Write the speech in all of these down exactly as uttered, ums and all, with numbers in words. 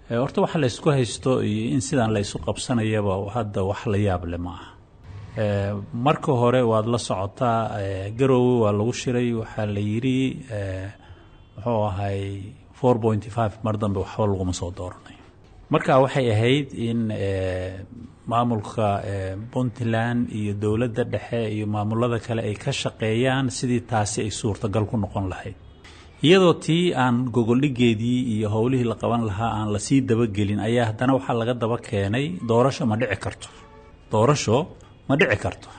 Horta waxa la isku haysto iyo in sidaan la isu qabsanayaba hadda wax la yaab leh ma aha. Marka hore waad la socotaa, Garoowe waa lagu shiray, waxaa la yidhi muxuu ahay four point five mar dambe waxba laguma soo dooranayo. Marka waxay ahayd in maamulka Puntland iyo dowladda dhexe iyo maamulada kale ay ka shaqeeyaan sidii taasi ay suurtagal ku noqon lahayd, iyadoo tii aan gogoldhigeedii iyo howlihii la qaban lahaa aan lasii dabagelin ayaa haddana waxaa laga daba keenay doorasho ma dhici karto, doorasho ma dhici karto.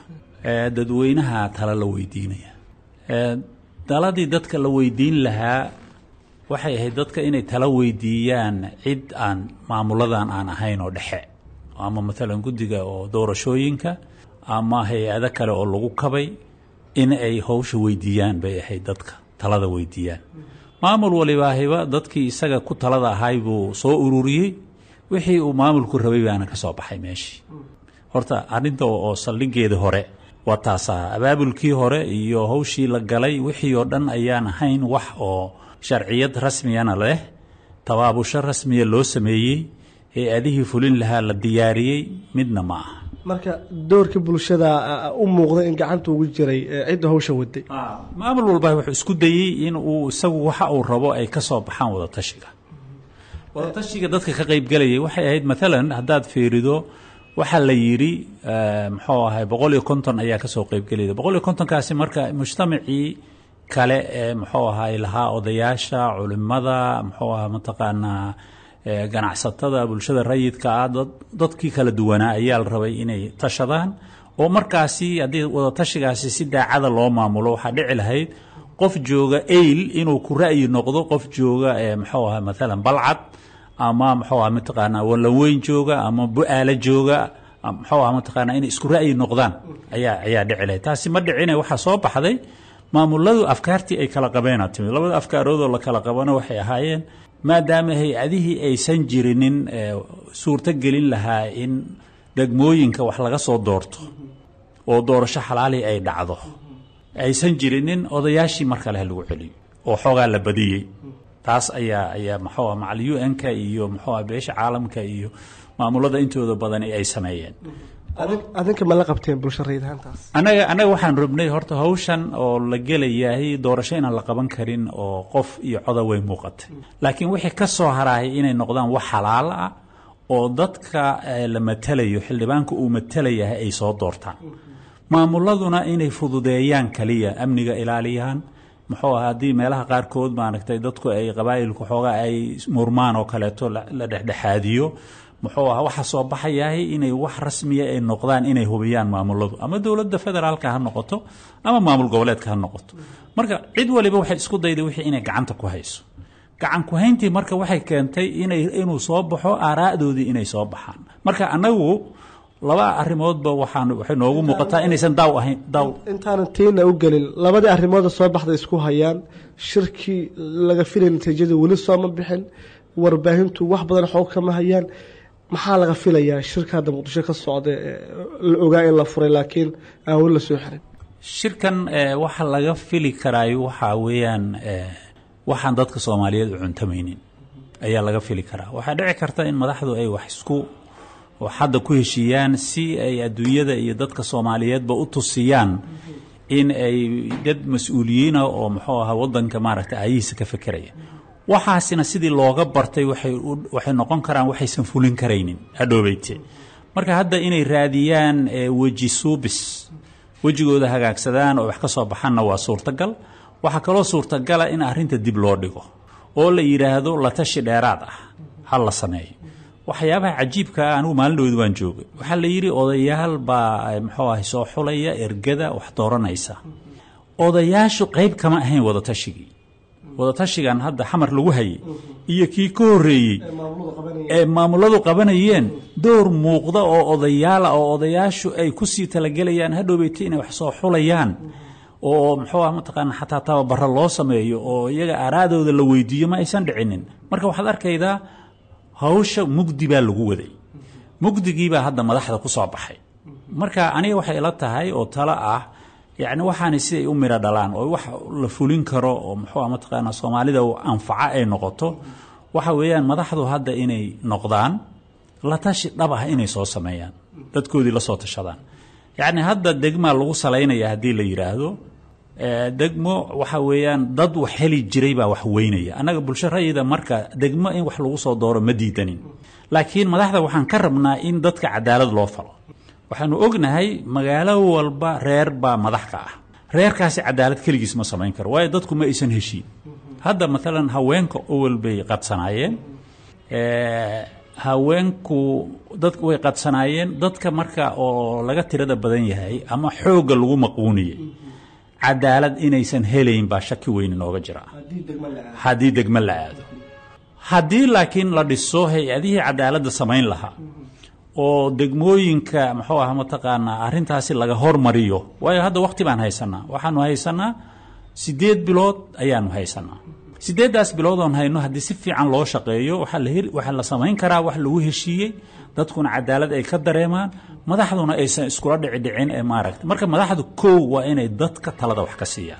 Dadweynaha tala la weydiinaya, taladii dadka la weydiin lahaa waxay ahayd dadka inay tala weydiiyaan cid aan maamuladan aan ahayn oo dhexe, ama maalan guddiga oo doorashooyinka ama hay-ado kale oo lagu kabay in ay howsha weydiiyaan bay ahayd, dadka talada weydiiyaan. Maamul walibaahiba dadkii isaga ku talada ahay buu soo ururiyey, wixii uu maamulku rabay baana ka soo baxay meeshii. Horta arrinta oo saldhigeeda hore waa taasaa, abaabulkii hore iyo hawshii la galay wixii oo dhan ayaan ahayn wax oo sharciyad rasmiyana leh, tabaabusho rasmiya loo sameeyey, hay-adihii fulin lahaa la diyaariyey, midna ma aha. Marka doorkii bulshada u muuqda in gacanta ugu jiray cidda hawsha waday. Maamul walba wuxuu isku dayey in uu isagu waxa uu rabo ay ka soo baxaan wadatashiga. Wadatashiga dadka ka qaybgelayay waxay ahayd maalan haddaad fiirido waxaa la yidhi muxuu ahay boqol iyo konton ayaa kasoo qaybgelayda. Boqol iyo kontonkaasi marka mujtamacii kale ee muxuu ahay lahaa odayaasha, culimada, muxuu ahaa mataqaanaa ganacsatada, bulshada rayidka ah, dadkii kala duwanaa ayaa la rabay inay tashadaan. Oo markaasi haddii wadatashigaasi si daacada loo maamulo waxaa dhici lahayd qof jooga Eyl inuu ku ra'yi noqdo qof jooga muxuu ahaa maalan Balcad ama muxuu ahaa mataqaanaa Wallaweyn jooga ama Bu-aalo jooga, muxuu ahaa mataqaanaa inay isku ra'yi noqdaan ayaa ayaa dhici lahayd. Taasi ma dhicine, waxaa soo baxday maamuladu afkaartii ay kala qabeena timid. Labada afkaaroodoo la kala qabana waxay ahaayeen maadaama hay-adihii aysan jirinin suurto gelin lahaa in degmooyinka wax laga soo doorto oo doorasho xalaali ay dhacdo aysan jirinin, odayaashii mar kale ha lagu celiyo oo xoogaa la badiyey. Taas ayaa ayaa muxuu ah macal U N-ka iyo muxuu ah beesha caalamka iyo maamulada intooda badani ay sameeyeen. Adinka ma la qabteen bulsho rayid ahaantaas? Anaga anaga waxaan rabnay horta hawshan oo la gelayahay doorasho inaan la qaban karin oo qof iyo coda way muuqatay, laakiin wixii ka soo harahay inay noqdaan wax xalaal ah oo dadka la matalayo, xildhibaanka uu matalayahay ay soo doortaan, maamuladuna inay fududeeyaan kaliya, amniga ilaaliyaan, muxuu ahaa haddii meelaha qaarkood maaragtay dadku ay qabaa'ilku xoogaa ay murmaan oo kaleeto la dhexdhexaadiyo, muxuu ahaa waxa soo baxayahay inay wax rasmiya ay noqdaan, inay hubiyaan maamuladu, ama dowladda federaalka ha noqoto ama maamul goboleedka ha noqoto. Marka cid waliba waxay isku dayday wixii inay gacanta ku hayso. Gacan ku hayntii marka waxay keentay inay inuu soo baxo aaraa'doodii inay soo baxaan. Marka annagu laba arrimoodba waxaan waxay noogu muuqataa inaysan daaw ahayn daaw. Intaanan tiina u gelin, labadii arrimooda soo baxday isku hayaan, shirkii laga filay natiijada weli sooma bixin, warbaahintu wax badan xoog kama hayaan. Maxaa laga filayaa shirka hadda Muqdisho ka socda la ogaa in la furay laakiin aan weli la soo xirin? Shirkan waxa laga fili karaayo waxaa weeyaan waxaan dadka Soomaaliyeed u cuntamaynin ayaa laga fili karaa. Waxaa dhici karta in madaxdu ay wax isku hadda ku heshiiyaan si ay adduunyada iyo dadka Soomaaliyeedba u tusiyaan in ay dad mas-uuliyiina oo muxuu ahaa waddanka maaragtay aayihiisa ka fekeraya. Waxaasina sidii looga bartay waxay waxay noqon karaan waxaysan fulin karaynin hadhoobeyte. Marka hadda inay raadiyaan weji suubis, wejigooda hagaagsadaan oo wax ka soo baxanna waa suurtagal. Waxaa kaloo suurtagala in arrinta dib loo dhigo oo la yidhaahdo la tashi dheeraad ah ha la sameeyo. Waxyaabaha cajiibka ah, anigu maalin dhaweyd waan joogay, waxaa la yidhi odayaal baa muxuu ahay soo xulaya ergada wax dooranaysa. Odayaashu qayb kama ahayn wadatashigii. Wadatashigan hadda Xamar lagu hayay iyo kii ka horreeyey ee maamuladu qabanayeen door muuqda oo odayaala oo odayaashu ay kusii talagelayaan hadhowbeyta inay wax soo xulayaan oo muxuu ah mataqaana xataa tababaro loo sameeyo oo iyaga aaraadooda la weydiiyo ma aysan dhicinin. Marka waxaad arkaydaa hawsha mugdi baa lagu waday, mugdigiibaa hadda madaxda ku soo baxay. Marka aniga waxay ila tahay oo talo ah, yacni waxaani siday u miro dhalaan oo wax la fulin karo oo muxuu ah mataqaanaa Soomaalida u anfaca ay noqoto, Waxa weeyaan madaxdu hadda inay noqdaan la tashi dhab ah inay soo sameeyaan, dadkoodii la soo tashadaan. Yacni hadda degmaa lagu salaynaya haddii la yidhaahdo degmo, waxa weeyaan dad wax heli jiray baa wax weynaya. Annaga bulsho rayida marka degmo in wax lagu soo dooro ma diidanin, laakiin madaxda waxaan ka rabnaa in dadka cadaalad loo falo. Waxaanu ognahay magaalo walba reer baa madax ka ah, reerkaasi cadaalad keligiis ma samayn karo, waayo dadku ma aysan heshiin. Hadda maalan haweenka owel bay qadsanaayeen, haweenku dadku way qadsanaayeen, dadka marka oo laga tirada badan yahay ama xoogga lagu maquuniyey cadaalad inaysan helayn baa shaki weyn inooga jira haddii degmo la aado. Haddii laakiin la dhiso hay-adihii cadaaladda samayn lahaa oo degmooyinka muxuu ah mataqaanaa arrintaasi laga hormariyo, waayo hadda waqti baan haysanaa, waxaanu haysanaa sideed bilood ayaanu haysanaa. Sideeddaas bilood oon hayno haddii si fiican loo shaqeeyo, waxaa la heli, waxaa la samayn karaa wax lagu heshiiyey, dadkuna cadaalad ay ka dareemaan, madaxduna aysan iskula dhici dhicin ee maaragta. Marka madaxdu kow waa inay dadka talada wax ka siiyaan.